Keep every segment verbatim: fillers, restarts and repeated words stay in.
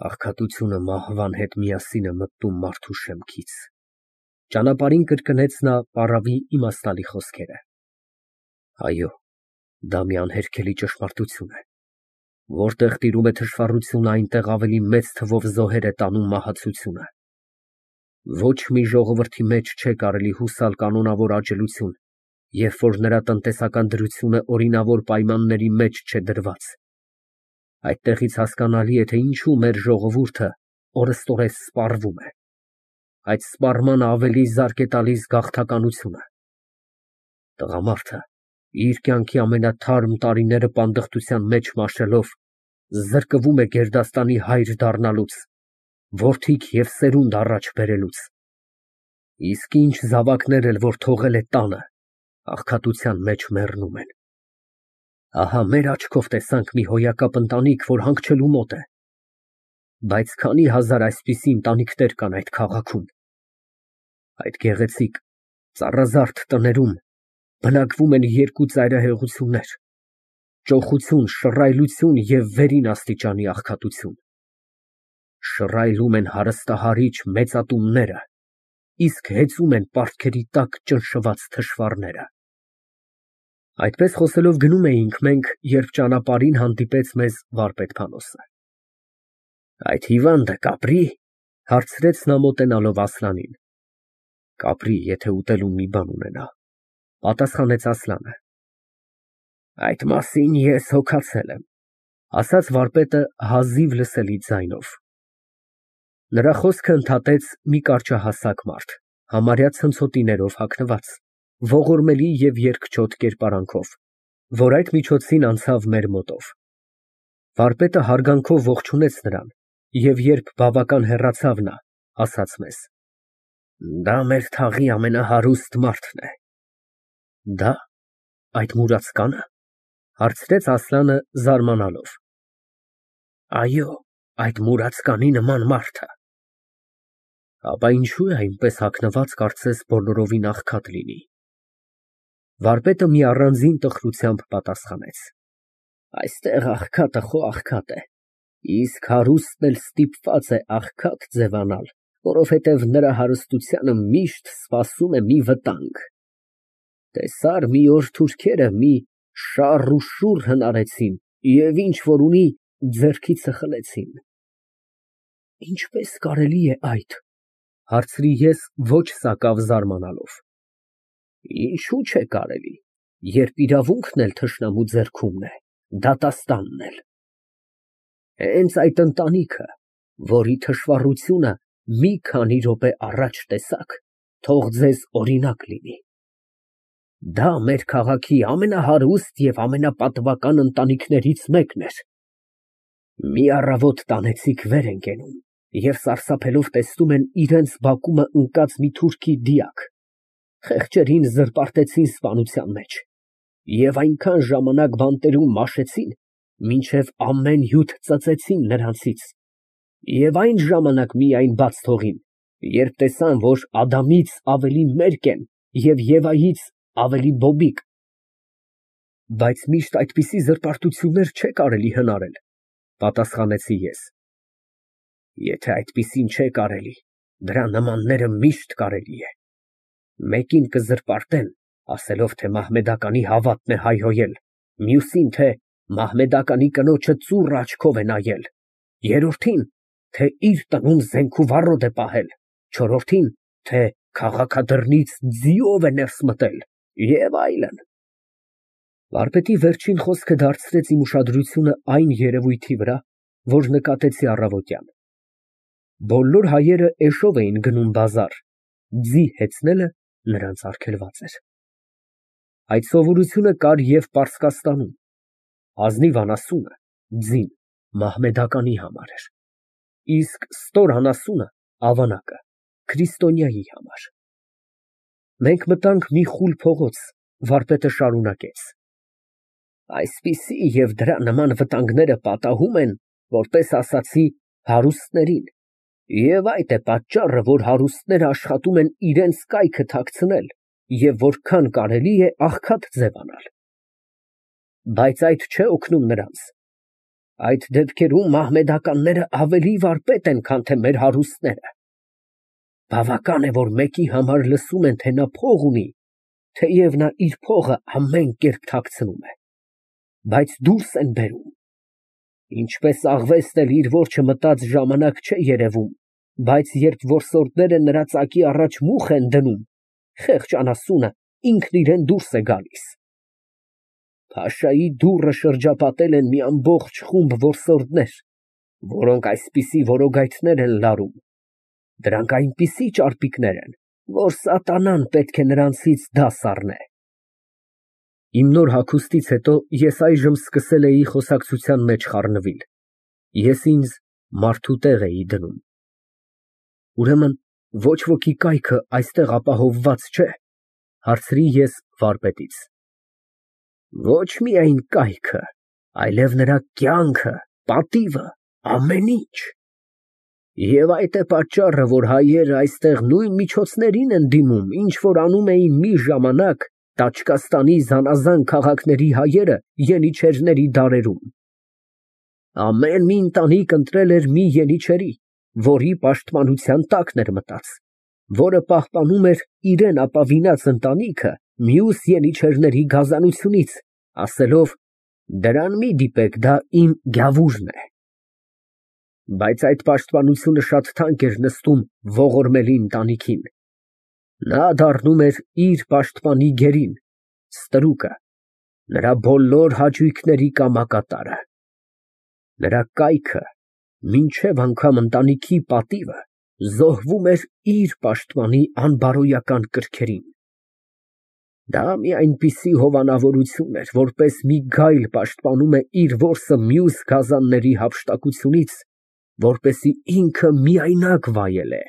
Աղքատությունը մահվան հետ միասին է մտնում մարդու շեմքից։ Ճանապարհին կրկնեց նա պառավի իմաստալի խոսքերը։ Այո, դա մի անհերքելի ճշմարտություն է։ Որտեղ տիրում է թշվառությունը, այնտեղ ավելի մեծ թվով զոհեր է տանում մահացությունը։ Ոչ մի ժողովրդի մեջ չէ կարելի հուսալ կանոնավոր աջելություն, երբ որ նրա տնտեսական դրությունը օրինավոր պայմանների մեջ չէ դրված։ Այդտեղից հասկանալի է, թե ինչու մեր ժողովուրդը օրըստօրես սպառվում է։ Այդ սպառմանը ավելի զարկ է տալիս գաղթականությունը։ Տղամարդը, իր կյանքի ամենաթարմ տարիները պանդխտության մեջ մաշելով, զրկվում է գերդաստանի հայր դառնալուց, որդիք և սերունդ առաջ բերելուց։ Իսկ ինչ զավակներ էլ որ թողել է տանը, աղքատության մեջ մեռնում են։ Ահա մեր աչքով տեսանք մի հոյակապ ընտանիք, որ հանգչելու մոտ է։ Բայց քանի հազար այսպիսի ընտանիքներ կան այդ քաղաքում։ Այդ գեղեցիկ, ծառազարդ տներում բնակվում են երկու ծայրահեղություններ՝ ճոխություն, շռայլություն և վերին աստիճանի աղքատություն։ Շռայլում են հարստահարիչ մեծատունները, իսկ հեծում են պարտքերի տակ ճնշված թշվառները։ Այդպես խոսելով գնում էինք մենք, երբ ճանապարհին հանդիպեց մեզ վարպետ Փանոսը։ Այդ հիվանդը կապրի՞, հարցրեց նա մոտենալով Ասլանին։ Կապրի, եթե ուտելու մի բան ունենա, պատասխանեց Ասլանը։ Այդ մասին ես հոգացել եմ, ասաց վարպետը հազիվ լսելի ձայնով։ Նրա խոսքը ընդհատեց մի կարճահասակ մարդ, համարյա ցնցոտիներով հագնված, ողորմելի և երկչոտ կերպարանքով, որ այդ միջոցին անցավ մեր մոտով։ Վարպետը հարգանքով ողջունեց նրան և երբ բավական հեռացավ նա, ասաց մեզ. Դա մեր թաղի ամենահարուստ մարդն է։ Դա, այդ մուրացկա՞նը, հարցրեց Ասլանը զարմանալով։ Այո, այդ մուրացկանի նման մարդը։ Ապա ինչո՞ւ է այնպես հագնված, կարծես բոլորովին աղքատ լինի։ Վարպետը մի առանձին տխրությամբ պատասխանեց. Այստեղ աղքատը խո աղքատ է, իսկ հարուստն էլ ստիպված է աղքատ ձևանալ, որովհետև նրա հարստությանը միշտ սպասում է մի վտանգ։ Տեսա՞ր մի օր թուրքերը մի շառ ու շուռ հնարեցին և ինչ որ ունի, ձեռքիցը խլեցին։ Ինչպե՞ս կարելի է այդ, հարցրի ես ոչ սակավ զարմանալով։ Ինչու՞ չէ կարելի, երբ իրավունքն էլ թշնամու ձեռքումն է, դատաստանն էլ։ Հենց այդ ընտանիքը, որի թշվառությունը մի քանի րոպե առաջ տեսաք, թող ձեզ օրինակ լինի։ Դա մեր քաղաքի ամենահարուստ և ամենապատվական ընտանիքներից մեկն էր։ Մի առավոտ տանեցիք վեր են կենում և սարսափելով տեսնում են իրենց բակումը ընկած մի թուրքի դիակ, խեղճերին զրպարտեցին սպանության մեջ և այնքան ժամանակ բանտերում մաշեցին, մինչև ամեն հյութ ծծեցին նրանցից, և այն ժամանակ միայն բաց թողին, երբ տեսան, որ Ադամից ավելի մերկ են և Եվայից ավելի բոբիկ։ Բայց միշտ այդպիսի զրպարտություններ չէ կարելի հնարել, պատասխանեցի ես։ Եթե այդպիսին չէ կարելի, դրա նմանները միշտ կարելի է։ Մեկին կզրպարտեն, ասելով, թե մահմեդականի հավատն է հայհոյել, մյուսին, թե մահմեդականի կնոջը ծուռ աչքով է նայել, երրորդին, թե իր տնում զենք ու վառոդ է պահել, չորրորդին, թե քաղաքադրնից ձիով է ներս մտել և այլն։ Վարպետի վերջին խոսքը դարձրեց իմ ուշադրությունը այն երևույթի վրա, որ նկատեցի առավոտյան։ Բոլոր հայերը էշով էին գնում բազար, ձի հեծնելը նրանց արգելված էր։ Այդ սովորությունը կար և Պարսկաստանում, ազնիվ անասունը (ձին) մահմեդականի համար էր, իսկ ստոր անասունը (ավանակը) քրիստոնյայի համար։ Մենք մտանք մի խուլ փողոց, վարպետը շարունակեց. Այսպիսի և դրա նման վտանգները պատահում են, որպես ասացի, հարուստներին, և այդ է պատճառը, որ հարուստները աշխատում են իրանց կայքը թաքցնել և որքան կարելի է աղքատ ձևանալ։ Բայց այդ չէ օգնում նրանց։ Այդ դեպքերում մահմեդականները ավելի վարպետ են, քան թե մեր հարուստները։ Բավական է, որ մեկի համար լսում են, թե նա փող ունի, թեև նա իր փողը ամեն կերպ թաքցնում է, բայց դուրս են բերում։ Ինչպես աղվեսն էլ իր որջը մտած ժամանակ չէ երևում, բայց երբ որսորդները նրա ծակի առաջ մուխ են դնում, խեղճ անասունը ինքն իրան դուրս է գալիս։ Փաշայի դուռը շրջապատել են մի ամբողջ խումբ որսորդներ, որոնք այսպիսի որոգայթներ են լարում։ Դրանք այնպիսի ճարպիկներ են, որ սատանան պետք է նրանցից դաս առնե։ Իմ նոր հագուստից հետո ես այժմ սկսել էի խոսակցության մեջ խառնվել։ Ես ինձ մարդու տեղ էի դնում։ Ուրեմն ոչ ոքի կայքը այստեղ ապահովված չէ, հարցրի ես վարպետից։ Ոչ միայն կայքը, այլև նրա կյանքը, պատիվը, ամեն ինչ։ Եվ այդ է պատճառը, որ հայերը այստեղ նույն միջոցներին են դիմում, ինչ որ անում էին մի ժամանակ Տաճկաստանի զանազան քաղաքների հայերը ենիչերների դարերում։ Ամեն մի ընտանիք ընտրել էր մի ենիչերի, որի պաշտպանության տակն էր մտած, որը պահպանում էր իրան ապավինած ընտանիքը մյուս ենիչերների գազանությունից, ասելով. «Դրան մի դիպեք, դա իմ գավուրն է»։ Բայց այդ պաշտպանությունը շատ թանկ էր նստում ողորմելի ընտանիքին։ Նա դառնում էր իր պաշտպանի գերին, ստրուկը, նրա բոլոր հաճույքների կամակատարը։ Նրա կայքը, մինչև անգամ ընտանիքի պատիվը, զոհվում էր իր պաշտպանի անբարոյական կրքերին։ Դա մի այնպիսի հովանավորություն էր, որպես մի գայլ պաշտպանում է իր որսը մյուս գազանների հափշտակությունից, որպեսզի ինքը միայնակ վայելե։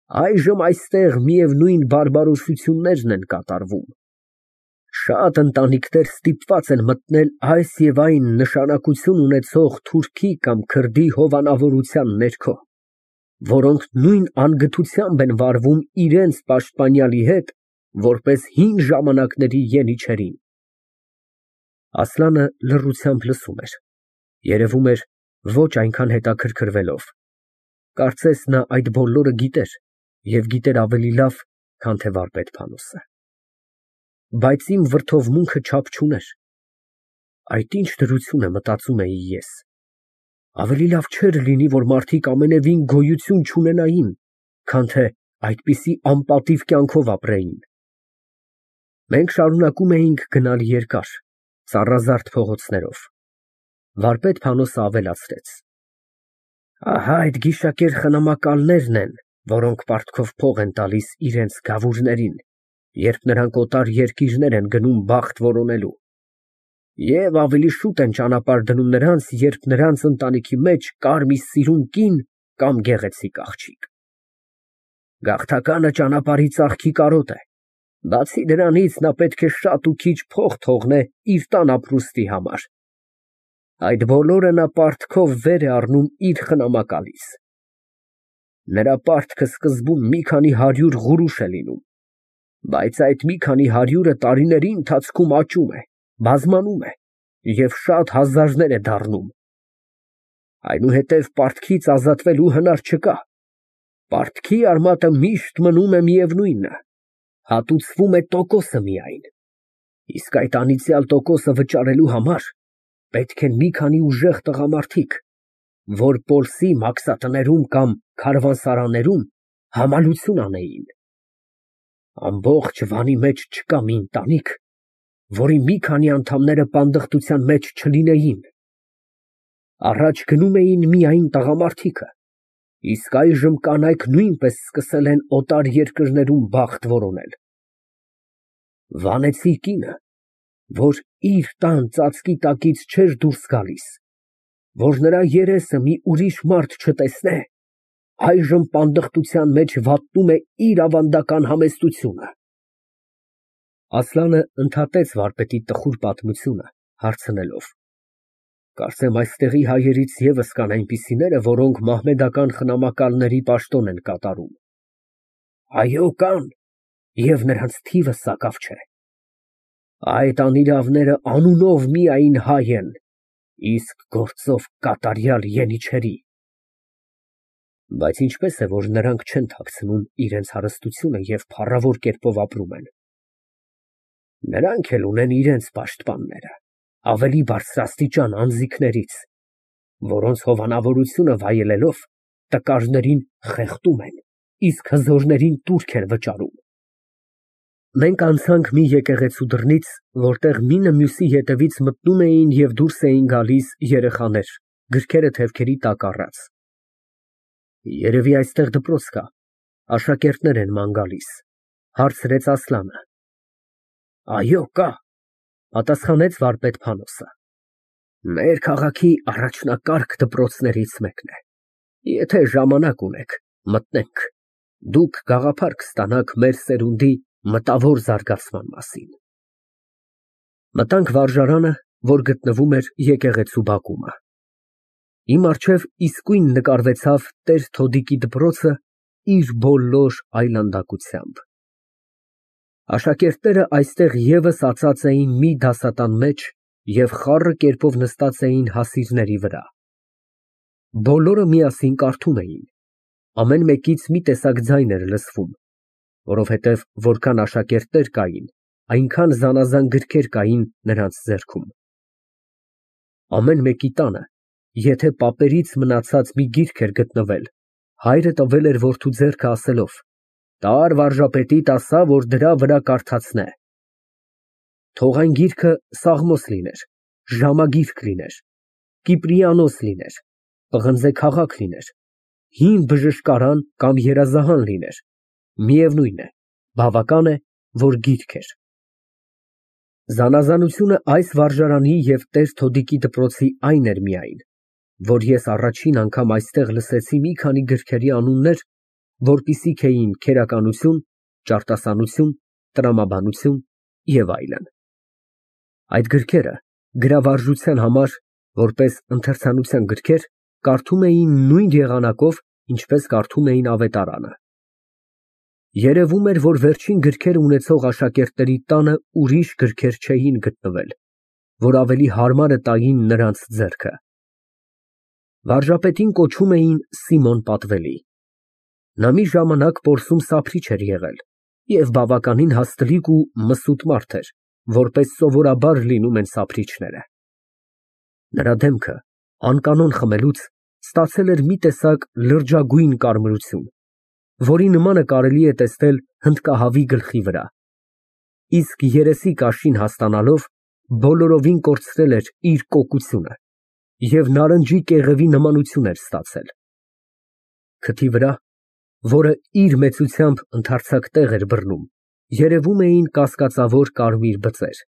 Այժմ այստեղ միևնույն բարբարոսություններն են կատարվում։ Շատ ընտանիքներ ստիպված են մտնել այս և այն նշանակություն ունեցող թուրքի կամ քրդի հովանավորության ներքո, որոնք նույն անգթությամբ են վարվում իրենց պաշտպանյալի հետ, որպես հին ժամանակների ենիչերին։ Ասլանը լռությամբ լսում էր, երևում էր ոչ այնքան հետաքրքրվելով, կարծես նա այդ բոլորը գիտեր և գիտեր ավելի լավ, քան թե վարպետ Փանոսը։ Բայց իմ վրդովմունքը չափ չուներ։ Այդ ինչ դրություն է, մտածում էի ես։ Ավելի լավ չէր լինի, որ մարդիկ ամենևին գոյություն չունենային, քան թե այդպիսի անպատիվ կյանքով ապրեին։ Մենք շարունակում էինք գնալ երկար, ծառազարդ փողոցներով։ Վարպետ Փանոսը ավելացրեց. Ահա այդ գիշակեր խնամակալներն են, որոնք պարտքով փող են տալիս իրենց գավուրներին, երբ նրանք օտար երկիրներ են գնում բախտ որոնելու, և ավելի շուտ են ճանապարհ դնում նրանց, երբ նրանց ընտանիքի մեջ կար մի սիրուն կին կամ գեղեցիկ աղջիկ։ Գաղթականը ճանապարհի ծաղկի կարոտ է, բացի դրանից նա պետք է շատ ու քիչ փող թողնե իր տան ապրուստի համար։ Այդ բոլորը նա պարտքով վեր է առնում իր խնամակալից։ Նրա պարտքը սկզբում մի քանի հարյուր գուրուշ է լինում, բայց այդ մի քանի հարյուրը տարիների ընթացքում աճում է, բազմանում է և շատ հազարներ է դառնում։ Այնուհետև պարտքից ազատվելու հնար չկա։ Պարտքի արմատը միշտ մնում է միևնույնը, հատուցվում է տոկոսը միայն, իսկ այդ անիծյալ տոկոսը վճարելու համար պետք են մի քանի ուժեղ տղամարդիկ, որ Պոլսի մաքսատներում կամ քարավանսարաններում համալություն անեին։ Ամբողջ Վանի մեջ չկա մի ընտանիք, որի մի քանի անդամները պանդխտության մեջ չլինեին։ Առաջ գնում էին միայն տղամարդիկը, իսկ այժմ կանայք նույնպես սկսել են օտար երկրներում բախտ որոնել։ Վանեցի կինը, որ իր տան ծածկի տակից չէր դուրս գալիս, որ նրա երեսը մի ուրիշ մարդ չտեսնե, այժմ պանդխտության մեջ վատնում է իր ավանդական համեստությունը։ Ասլանը ընդհատեց վարպետի տխուր պատմությունը, հարցնելով. Կարծեմ այստեղի հայերից ևս կան այնպիսիները, որոնք մահմեդական խնամակալների պաշտոն են կատարում։ Այո, կան, և նրանց թիվը սակավ չէ։ Այդ անիրավները անունով միայն հայ են, Իսկ գործով կատարյալ ենիչերի։ Բայց ինչպես է, որ նրանք չեն թաքցնում իրենց հարստությունը և փառավոր կերպով ապրում են։ Նրանք էլ ունեն իրենց պաշտպանները, ավելի բարձրաստիճան անձիկներից, որոնց հովանավորությունը վայելելով տկարներին խեղդում են, իսկ հզորներին տուրք են վճարում։ Մենք անցանք մի եկեղեցու դռնից, որտեղ մինը մյուսի ետևից մտնում էին և դուրս էին գալիս երեխաներ, գրքերը թևքերի տակ առած։ Երևի այստեղ դպրոց կա, աշակերտներ են ման գալիս, հարցրեց Ասլանը։ Այո, կա, պատասխանեց վարպետ Փանոսը։ Մեր քաղաքի առաջնակարգ դպրոցներից մեկն է։ Եթե ժամանակ ունեք, մտնենք, դուք գաղափար կստանաք մեր սերունդի մտավոր զարգացման մասին։ Մտանք վարժարանը, որ գտնվում էր եկեղեցու բակումը։ Իմ առջև իսկույն նկարվեցավ տեր Թոդիկի դպրոցը իր բոլոր այլանդակությամբ։ Աշակերտները այստեղ ևս ածած էին մի դասատան մեջ և խառը կերպով նստած էին հասիրների վրա։ Բոլորը միասին կարդում էին, ամեն մեկից մի տեսակ ձայն էր լսվում, որովհետև որքան աշակերտներ կային, այնքան զանազան գրքեր կային նրանց ձեռքում։ Ամեն մեկի տանը, եթե պապերից մնացած մի գիրք էր գտնվել, հայրը տվել էր որդու ձեռքը ասելով. «Տար վարժապետիդ ասա, որ դրա վրա կարդացնե»։ Թող այն գիրքը Սաղմոս լիներ, ժամագիրք լիներ, Կիպրիանոս լիներ, պղնձե քաղաք լիներ, հին բժշկարան կամ երազահան լիներ, միևնույն է, բավական է, որ գիրք էր։ Զանազանությունը այս վարժարանի և տեր Թոդիկի դպրոցի այն էր միայն, որ ես առաջին անգամ այստեղ լսեցի մի քանի գրքերի անուններ, որպիսիք էին քերականություն, ճարտասանություն, տրամաբանություն և այլն։ Այդ գրքերը գրավարժության համար, որպես ընթերցանության գրքեր, կարդում էին նույն եղանակով, ինչպես կարդում էին ավետարանը։ Երևում էր, որ վերջին գրքերը ունեցող աշակերտների տանը ուրիշ գրքեր չէին գտնվել, որ ավելի հարմարը տային նրանց ձեռքը։ Վարժապետին կոչում էին Սիմոն Պատվելի։ Նա մի ժամանակ պորսում սափրիչ էր եղել և բավականին հաստլիկ ու մսուտ մարդ էր, որպես սովորաբար լինում են սափրիչները։ Նրա դեմքը, անկանոն խմելուց, ստացել էր մի տեսակ լրջագույն կարմրություն, որի նմանը կարելի է տեսնել հնդկահավի գլխի վրա, իսկ երեսի կաշին հասկանալով բոլորովին կորցրել էր իր կոկությունը և նարնջի կեղևի նմանություն էր ստացել։ Քթի վրա, որը իր մեծությամբ ընդարձակ տեղ էր բռնում, երևում էին կասկածավոր կարմիր բծեր։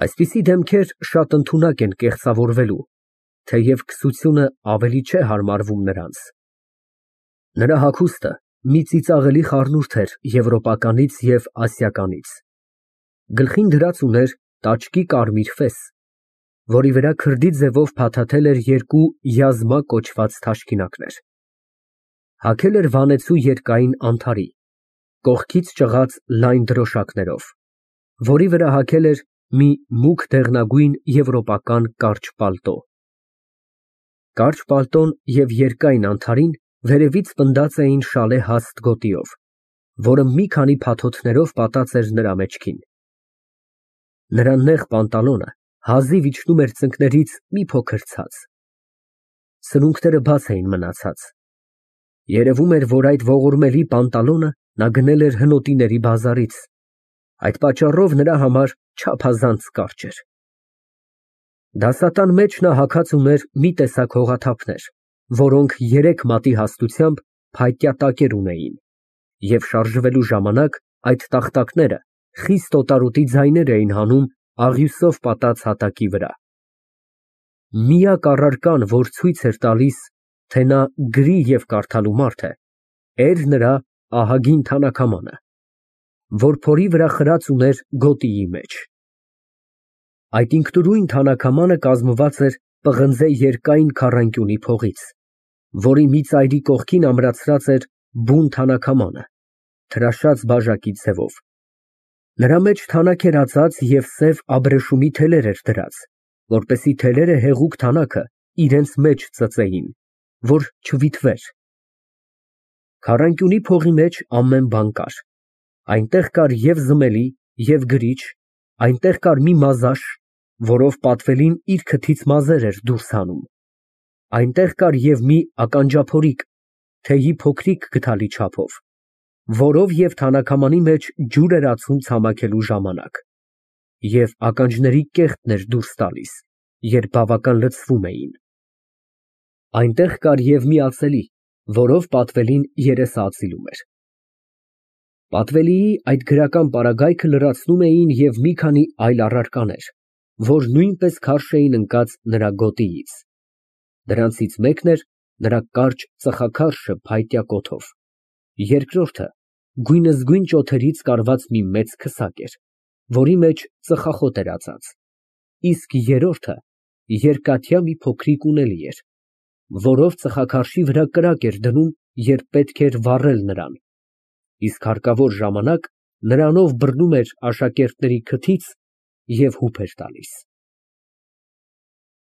Այսպիսի դեմքեր շատ ընդունակ են կեղծավորվելու, թեև քսությունը ավելի չէ հարմարվում նրանց։ Նրա հագուստը մի ծիծաղելի խառնուրդ էր եվրոպականից և ասիականից։ Գլխին դրած ուներ տաճկի կարմիր ֆես, որի վրա քրդի ձևով փաթաթել էր երկու յազմա կոչված թաշկինակներ։ Հագել էր վանեցու երկայն անթարի, կողքից ճղած լայն դրոշակներով, որի վրա հագել էր մի մուգ դեղնագույն եվրոպական կարճ պալտո։ Կարճ պալտոն և երկայն անթարին վերևից պնդած էին շալե հաստ գոտիով, որը մի քանի փաթոթներով պատած էր նրա մեջքին։ Նրա նեղ պանտալոնը հազիվ իջնում էր ծնկներից մի փոքր ցած։ Սրունքները բաց էին մնացած։ Երևում էր, որ այդ ողորմելի պանտալոնը նա գնել էր հնոտիների բազարից, այդ պատճառով նրա համար չափազանց կարճ էր։ Դասատան մեջ նա հագած ուներ մի տեսակ հողաթափներ, որոնք երեք մատի հաստությամբ փայտյա տակեր ունեին, և շարժվելու ժամանակ այդ տախտակները խիստ օտարոտի ձայներ էին հանում աղյուսով պատած հատակի վրա։ Միակ առարկան, որ ցույց էր տալիս, թե նա գրի և կարդալու մարդ է, էր նրա ահագին թանաքամանը, որ փորի վրա խրած ուներ գոտիի մեջ։ Այդ ինքնուրույն թանաքամանը կազմված էր պղնձե երկայն քառանկյունի փողից, որի մի ծայրի կողքին ամրացրած էր բուն թանաքամանը, թրաշած բաժակի ձևով։ Նրա մեջ թանաք էր ածած և սև աբրեշումի թելեր էր դրած, որպեսզի թելերը հեղուկ թանաքը իրենց մեջ ծծեին, որ չվիթվեր։ Քառանկյունի փողի մեջ ամեն բան կար, այնտեղ կար և զմելի, և գրիչ, այնտեղ կար մի մազաշ, որով պատվելին իր քթից մազեր էր դուրս հանում, այնտեղ կար և մի ականջափորիկ, թեյի փոքրիկ գդալի չափով, որով և թանաքամանի մեջ ջուր էր ածում ցամաքելու ժամանակ, և ականջների կեղտն էր դուրս տալիս, երբ բավական լցվում էին, այնտեղ կար և մի ածելի, որով պատվելին երեսը ածիլում էր։ Պատվելիի այդ գրական պարագայքը լրացնում էին և մի քանի այլ առարկաներ, որ նույնպես քարշ էին ընկած նրա գոտիից, դրանցից մեկն էր նրա կարճ ծխաքարշը փայտյա կոթով, երկրորդը գույնզգույն ճոթերից կարված մի մեծ քսակ էր, որի մեջ ծխախոտ էր ածած, իսկ երրորդը երկաթյա մի փոքրիկ ունելի էր, որով ծխաքարշի վրա կրակ էր դնում, երբ պետք էր վառել նրան, իսկ հարկավոր ժամանակ նրանով բռնում էր աշակերտների քթից և հուփ էր տալիս։